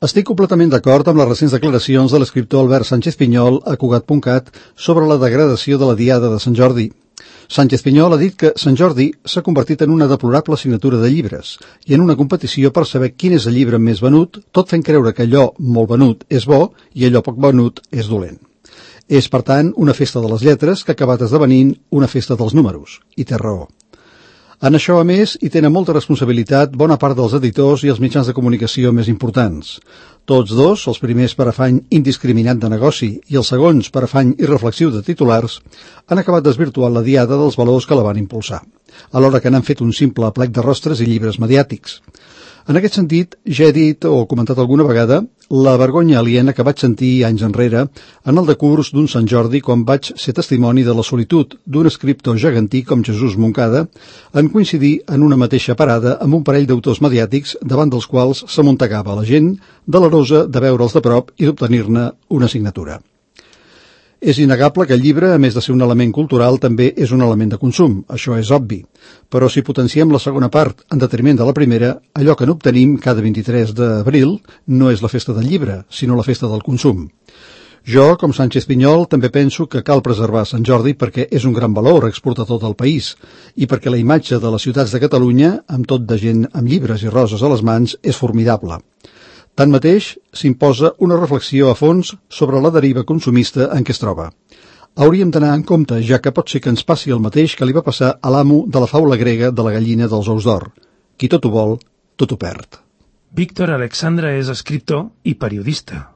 Estic completament d'acord amb les recents declaracions de l'escriptor Albert Sánchez Pinyol a Cugat.cat sobre la degradació de la Diada de Sant Jordi. Sánchez Pinyol ha dit que Sant Jordi s'ha convertit en una deplorable assignatura de llibres i en una competició per saber quin és el llibre més venut, tot fent creure que allò molt venut és bo i allò poc venut és dolent. És, per tant, una festa de les lletres que ha acabat esdevenint una festa dels números, i té raó. En això, a més, hi tenen molta responsabilitat bona part dels editors i els mitjans de comunicació més importants. Tots dos, els primers per afany indiscriminat de negoci i els segons per afany irreflexiu de titulars, han acabat desvirtuant la diada dels valors que la van impulsar, alhora que n'han fet un simple plec de rostres i llibres mediàtics. En aquest sentit, ja he dit o comentat alguna vegada la vergonya aliena que vaig sentir anys enrere en el decurs d'un Sant Jordi quan vaig ser testimoni de la solitud d'un escriptor gegantí com Jesús Moncada en coincidir en una mateixa parada amb un parell d'autors mediàtics davant dels quals s'amuntegava la gent delerosa de veure'ls de prop i d'obtenir-ne una signatura. És innegable que el llibre, a més de ser un element cultural, també és un element de consum, això és obvi. Però si potenciem la segona part en detriment de la primera, allò que n'obtenim cada 23 d'abril no és la festa del llibre, sinó la festa del consum. Jo, com Sánchez Pinyol, també penso que cal preservar Sant Jordi perquè és un gran valor exportador del país i perquè la imatge de les ciutats de Catalunya, amb tot de gent amb llibres i roses a les mans, és formidable. Tanmateix, s'imposa una reflexió a fons sobre la deriva consumista en què es troba. Hauríem d'anar en compte, ja que pot ser que ens passi el mateix que li va passar a l'amo de la faula grega de la gallina dels ous d'or. Qui tot ho vol, tot ho perd. Víctor Alexandre és escriptor i periodista.